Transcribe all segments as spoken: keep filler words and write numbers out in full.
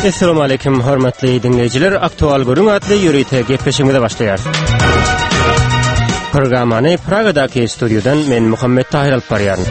Essalamu aleýkum hormatly diňleýjiler. Aktual gürrüň atly ýörite gepleşigimize başlaýarys. Programmany Pragadaky studiýadan men Muhammet Tahir alyp barýaryn.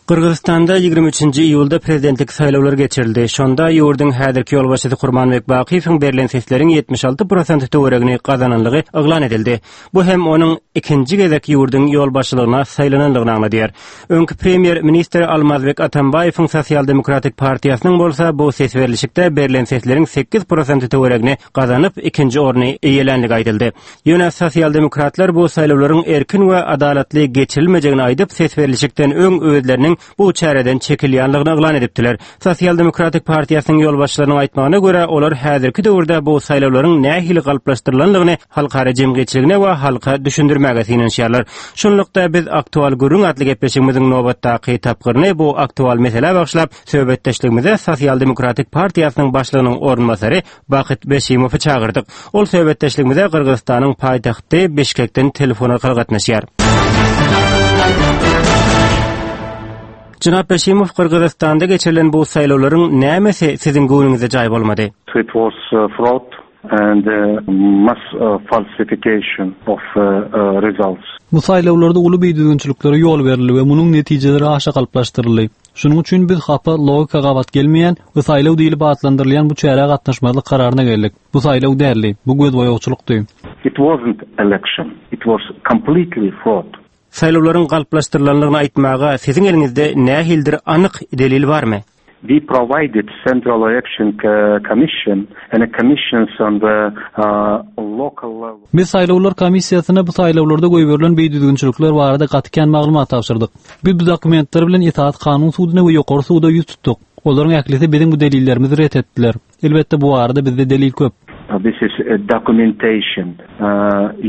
Gyrgyzystanda ýigrimi üçünji iýulda prezidentlik saýlawlary geçirildi. Şonda ýurduň häzirki ýolbaşçysy Kurmanbek Bakyýewiň berlen sesleriň ýetmiş alty prosenti töweregini gazananlygy yglan edildi. Bu hem onuň ikinji gezek ýurduň ýolbaşçylygyna saýlananlygyny aňladýar. Öňki premýer-ministr Almazbek Atambaýewiň Sosial-demokratik partiýasynyň bolsa bu ses berlişikde berlen sesleriň sekiz prosenti töweregini gazanyp, ikinji orny eýelänligi aýdyldy. Ýöne sosial-demokratlar bu saýlawlaryň erkin we adalatly geçirilmejegini aýdyp, ses berlişikden öň özleriniň bu çäreden çekilýänligini yglan edipdiler. Sosial-demokratik partiýasynyň ýolbaşçylarynyň aýtmagyna görä, olar häzirki döwürde bu saýlawlaryň nähili galplaşdyrylanlygyny halkara jemgyýetçiligine we halka düşündirmäge synanyşýarlar. Şunlukda biz Aktual gürrüň atly gepleşigimiziň nobatdaky tapgyryny bu aktual meselä bagyşlap, söhbetdeşligimize Sosial-demokratik partiýasynyň başlygynyň orunbasary Bakyt Beşimowy çagyrdyk. Ol söhbetdeşligimize Gyrgyzystanyň paýtagty Bişkekden telefon arkaly gatnaşýar. Jenap Beşimow, Gyrgyzystanda geçirilen bu saýlawlaryň nämesi siziň göwnüňize jaý bolmady? It was fraud and mass falsification of results. Bu saýlawlarda uly bidüzgünçiliklere ýol berildi we munuň netijeleri aşa galplaşdyryldy. Şunuň üçin biz hapa logika gabat gelmeýän we saýlaw diýlip atlandyrylýan bu çärä gatnaşmazlyk kararyna geldik. Bu saýlaw däldi, bu gözboýagçylykdy. It wasn't election, it was completely fraud. Saýlawlaryň galplaşdyrylanlygyny aýtmaga siziň eliňizde nähilidir anyk delil barmy? We provided Central Election Commission and commissions on the local level. Biz saýlawlar komissiýasyna bu saýlawlarda goýberilen bidüzgünçilikler barada gaty kän maglumat tabşyrdyk. Biz bu dokumentler bilen Esasy Kanun suduna we ýokary suda ýüz tutduk. Olaryň ählisi biziň bu delillerimizi ret etdiler. Elbetde bu barada bizde delil köp. This is a documentation.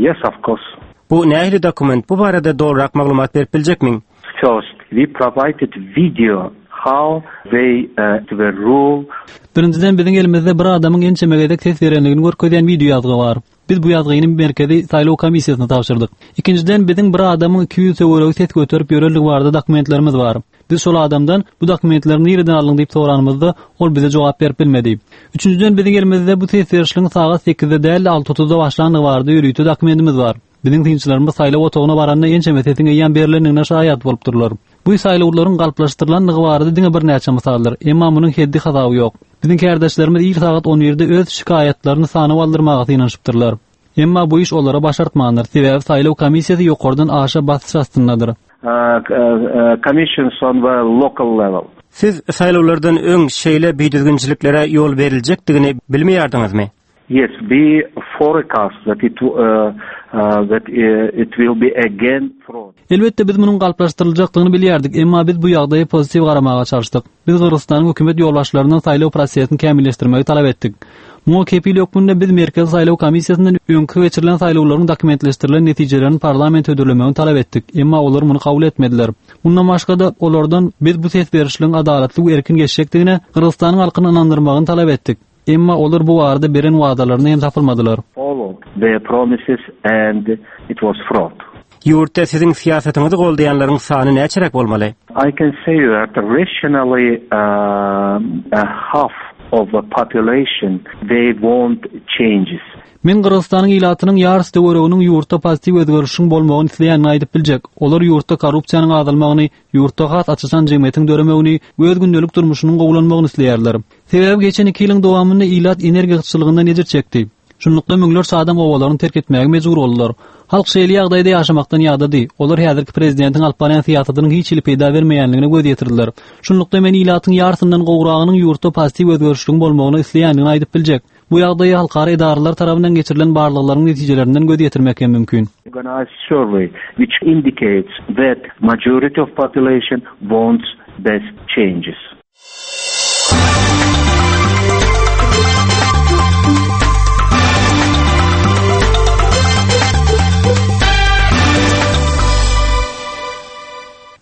Yes, of course. Bu nähili dokument? Bu barada dogryrak maglumat berip biljekmiň? First, we provided video how they were rule. Birinjiden biziň elimizde bir adamyň ençeme gezek ses berenligini görkezýän video ýazgy bar. Biz bu ýazgyny Merkezi saýlaw komissiýasyna tabşyrdyk. Ikinjiden biziň bir adamyň iki ýüz töweregi ses göterip ýörenligi barada dokumentlerimiz bar. Biz şol adamdan bu dokumentleri nireden aldyň diýip soranymyzda ol bize jogap berip bilmedi. Üçünjiden biziň elimizde bu ses berişligiň sagat sekizde däl, alty otuzda başlandygy barada ýörite dokumentimiz bar. Biziň synçylarymyz saýlaw otagyna baranda ençeme sesiň eýýäm berlendigine şaýat bolupdyrlar. Bu saýlawlaryň galplaşdyrylandygy barada diňe birnäçe mysaldyr, emma munuň heddi hasaby ýok. Biziň kärdeşlerimiz ir sagat on birde öz şikaýatlaryny sanaw aldyrmaga synanyşypdyrlar. Emma bu iş olara başartmandyr, sebäbi saýlaw komissiýasy ýokardan aşa basyş astyndadyr. Commissions on the local level. Siz saýlawlardan öň şeýle bidüzgünçiliklere ýol beriljekdigini bilmeýärdiňizmi? Yes, we forecast that it, uh, uh, that, uh, it will be again fraud. Elbetde biz munuň galplaşdyryljakdygyny bilýärdik, emma biz bu ýagdaýa pozitiw garamaga çalyşdyk. Biz Gyrgyzystanyň hökümet ýolbaşçylaryndan saýlaw prosesini kämilleşdirmegi talap etdik. Muňa kepil hökmünde biz Merkezi saýlaw komissiýasyndan öňki geçirilen saýlawlaryň dokumentleşdirilen netijelerini parlament hödürlemegini talap etdik, emma olar muny kabul etmediler. Mundan başga-da olardan biz bu ses berişligiň adalatly we erkin geçjekdigine Gyrgyzystanyň halkyny ynandyrmagyny talap etdik. Emma olar bu barada beren wadalaryny hem tapylmadylar. Follow their promises and it was fraud. Ýurtda siziň syýasatyňyzy goldaýanlaryň sany näçeräk bolmaly? I can say that rationally, uh, a half of the population they want changes. Men Gyrgyzystanyň ilatynyň ýarysy töwereginiň ýurtda pozitiw özgerişiň bolmagyny isleýänini aýdyp biljek. Olar ýurtda korrupsiýanyň azalmagyny, ýurtda has açyşan jemgyýetiň döremegini we öz gündelik durmuşynyň gowulanmagyny isleýärler. Sebäbi geçen iki ýylyň dowamynda ilat energiýa gytçylygyndan ejir çekdi. Şunlukda müňlerçe adam obalaryny terk etmäge mejbur boldular. Halk şeýle ýagdaýda ýaşamakdan ýadady. Olar häzirki prezidentiň alyp barýan syýasatynyň hiç hili peýda bermeýänligine göz ýetirdiler. Şunlukda men ilatyň ýarysyndan gowragynyň ýurtda pozitiw özgerişligiň bolmagyny isleýänligini aýdyp biljek. Bu ýagdaýy halkara edaralar tarapyndan geçirilen barlaglaryň netijelerinden göz ýetirmek hem mümkin. Organized survey which indicates that majority of population wants best changes.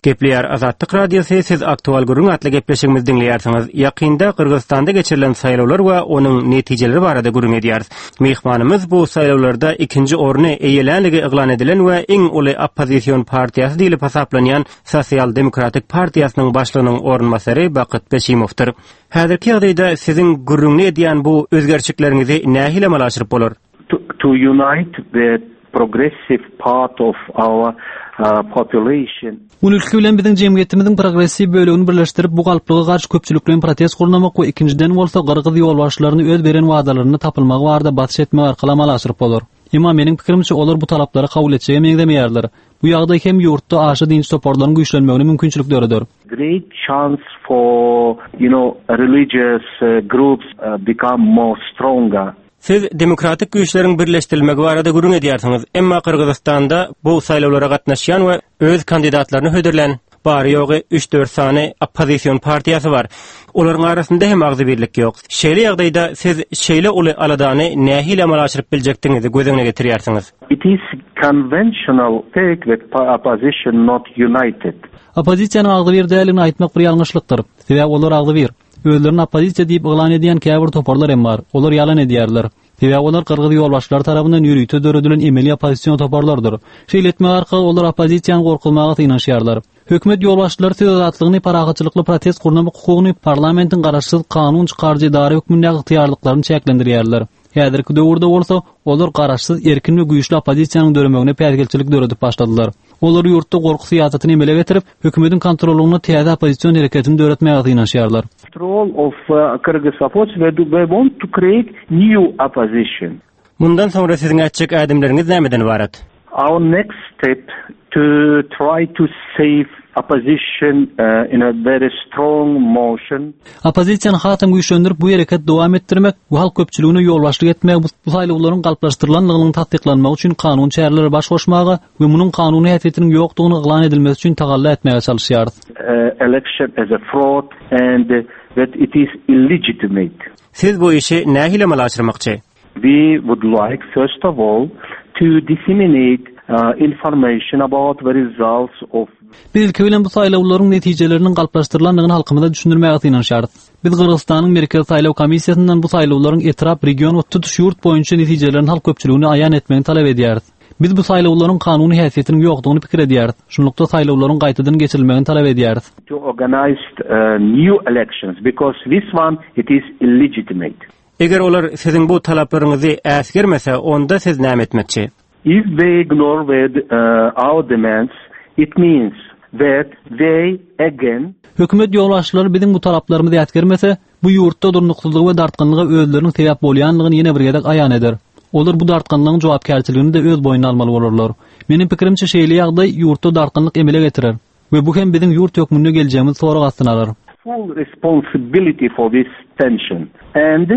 Gepleýär Azatlyk Radiosy, siz Aktual gürrüň atly gepleşigimizi diňleýärsiňiz. Ýakynda Gyrgyzystanda geçirilen saýlawlar we onuň netijeleri barada gürrüň edýäris. Myhmanymyz bu saýlawlarda ikinji orny eýelänligi yglan edilen we iň uly oppozision partiýasy diýlip hasaplanýan Sosial Demokratik partiýasynyň başlygynyň orunbasary Bakyt Beşimowdyr. Häzirki ýagdaýda siziň gürrüňini edýän bu özgerişlikleriňizi nähili amala aşyryp bolar? To, to unite the progressive part of our uh, population. Ilki bilen biziň jemgyýetimiziň progressiw bölegini birleşdirip bu galplyga garşy köpçülikleýin protest gurnamak we ikinjiden bolsa gyrgyz ýolbaşçylaryny öz beren wadalaryny tapylmagy barada basyş etmek arkaly amala aşyryp bolar. Emma meniň pikirimçe olar bu talaplary kabul etjege meňzemeýärler. Bu ýagdaý hem ýurtda aşa dinç toparlaryň güýçlenmegine mümkinçilik döreder. Great chance for, you know, religious uh, groups uh, become more stronger. Siz demokratik güýçleriň birleşdirilmegi barada gürrüň edýärsiňiz. Emma Gyrgyzystanda bu saýlawlara gatnaşýan we öz kandidatlaryny hödürlän bary ýogy üç-dört sany oppozision partiýasy bar. Olaryň arasynda hem agzybirlik ýok. Şeýle ýagdaýda siz şeýle uly aladany nähili amala aşyryp biljekdigiňizi göz öňüne getirýärsiňiz? It is conventional take that opposition not united. Oppozisiýanyň agzybir däldigini aýtmak bir ýalňyşlykdyr. Sebäbi olar agzybir. Özlerini oppozisiýa diýip yglan edýän käbir toparlar hem bar. Olar ýalan edýärler. Sebäbi olar gyrgyz ýolbaşçylary tarapyndan ýörite döredilen emeli oppozision toparlardyr. Şeýle etmek arkaly olar oppozisiýany gorkuzmaga synanyşýarlar. Hökümet ýolbaşçylary söz azatlygyny, parahatçylykly protest gurnamak hukugyny parlamentiň garaşsyz kanun çykaryjy edara hökmünde ygtyýarlyklaryny çäklendirýärler. Häzirki döwürde bolsa olar garaşsyz, erkin we güýçli oppozisiýanyň döremegine päsgelçilik döredip başladylar. Olar ýurtda gorky syýasatyny emele getirip, hökümetiň kontrollygyna täze oppozision hereketini döretmäge synanyşýarlar. Role of uh, Kyrgyz opposition, they, they want to create new opposition. Mundan soňra siziň ätjek ädimleriňiz nämeden ibarat? Our next step to try to save opposition uh, in a very strong motion. Oppozisiýany hasam güýçlendirip bu hereket dowam etdirmek we halk köpçüligine ýolbaşçylyk etmek bu saýlawlaryň galplaşdyrylanlygynyň tassyklanmagy üçin kanun çäreleri baş goşmaga we munuň kanuny häsiýetiniň ýokdugyny yglan edilmesi üçin tagalla etmäge çalyşýarys. Uh, election as a fraud and uh, that it is illegitimate. Siz bu işi nähili amala aşyrmakçy? We would like first of all to disseminate uh, information about the results of Biz ilki bilen bu saýlawlaryň netijeleriniň galplaşdyrylanlygyny halkymyza düşündirmäge synanyşýarys. Biz Gyrgyzystanyň Merkezi saýlaw komissiýasyndan bu saýlawlaryň etrap, region we tutuş ýurt boýunça netijelerini halk köpçüligine aýan etmegini talap edýäris. Biz bu saýlawlaryň kanuny häsiýetiniň ýokdugyny pikir edýäris. Şunlukda saýlawlaryň gaýtadan geçirilmegini talap edýäris. to organize uh, new elections because this one it is illegitimate. Eger olar siziň bu talaplaryňyzy äsgermese, onda siz näme etmekçi? If they ignore the, uh, our demands, it means that they again Hökümet ýolbaşçylary biziň bu talaplarymyzy äsgermese, bu ýurtda durnuksyzlygy we dartgynlyga özleriniň sebäp bolýanlygyny ýene bir gezek aýan eder. Olar bu dartgynlygyň jogapkärçiligini de öz boýnuna almaly bolarlar. Meniň pikirimçe şeýle ýagdaý ýurtda dartgynlyk emele getirer we bu hem biziň ýurt hökmünde geljegimizi sorag astyna alar. full responsibility for this tension. And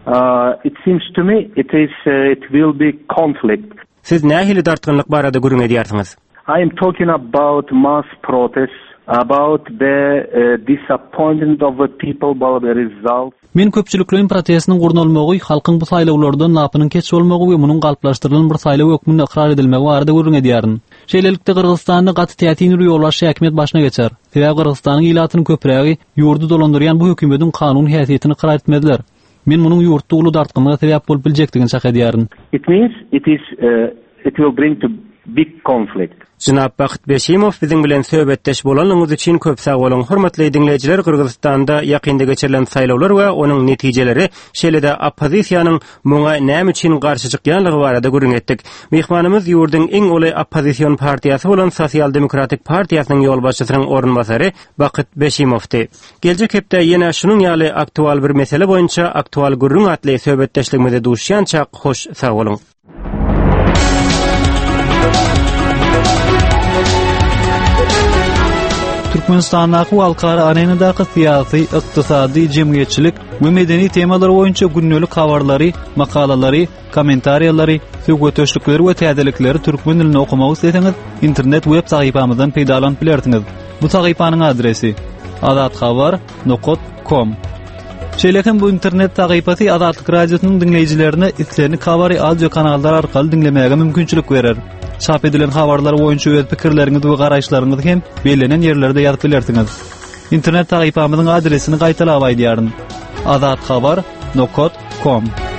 uh, it seems to me it is uh, it will be conflict. Siz nähili dartgynlyk barada gürrüň edýärsiňiz? I am talking about mass protests, about the uh, disappointment of the people about the results. Men köpçülikleýin protestiniň gurnalmagy, halkyň bu saýlawlardan lapynyň keç bolmagy we munuň galplaşdyrylan bir saýlaw hökmünde ykrar edilmegi barada gürrüň edýärin. Şeýlelikde Gyrgyzystanda gaty täsin bir ýolbaşçy häkimiýet başyna geçer. Sebäbi Gyrgyzystanyň ilatynyň köprägi ýurdy dolandyrýan bu hökümetiň kanun häsiýetini ykrar etmezler. Men munuň ýurtda uly dartgynlyga sebäp bolup biljekdigini çak edýärin. It means it is uh, it will bring to big conflict. Jenap Bakyt Beşimow biziň bilen söhbetdeş bolanlygyňyz üçin köp sag boluň. Hormatly diňleýjiler, Gyrgyzystanda ýakynda geçirilen saýlawlar we onuň netijeleri, şeýle-de oppozisiýanyň muňa näme üçin garşy çykýanlygy barada gürrüň etdik. Myhmanymyz ýurduň iň uly oppozision partiýasy bolan Sosial Demokratik partiýasynyň ýolbaşçysynyň orunbasary Bakyt Beşimowdy. Geljek hepde ýene şunuň ýaly aktual bir mesele boýunça aktual gürrüň atly söhbetdeşligimize duşýança hoş sag boluň. Türkmenistandaky we halkara arenadaky syýasy, ykdysady, jemgyýetçilik we medeni temalar boýunça gündelik habarlary, makalalary, kommentariýalary, söhbetdeşlikleri we täzelikleri türkmen dilinde okumak isleseňiz, internet web sahypamyzdan peýdalanyp bilersiňiz. Bu sahypanyň adresi azathabar nokta com. Şeýle hem bu internet sahypasy Azatlyk Radiosynyň diňleýjilerine islendik habary audio kanallar arkaly diňlemäge mümkinçilik berer. Çap edilen habarlar boýunça öz pikirleriňizi we garaýyşlaryňyzy hem bellenen ýerlerde ýazyp bilersiňiz. Internet sahypamyzyň adresini gaýtalap aýdýaryn. azathabar nokta com.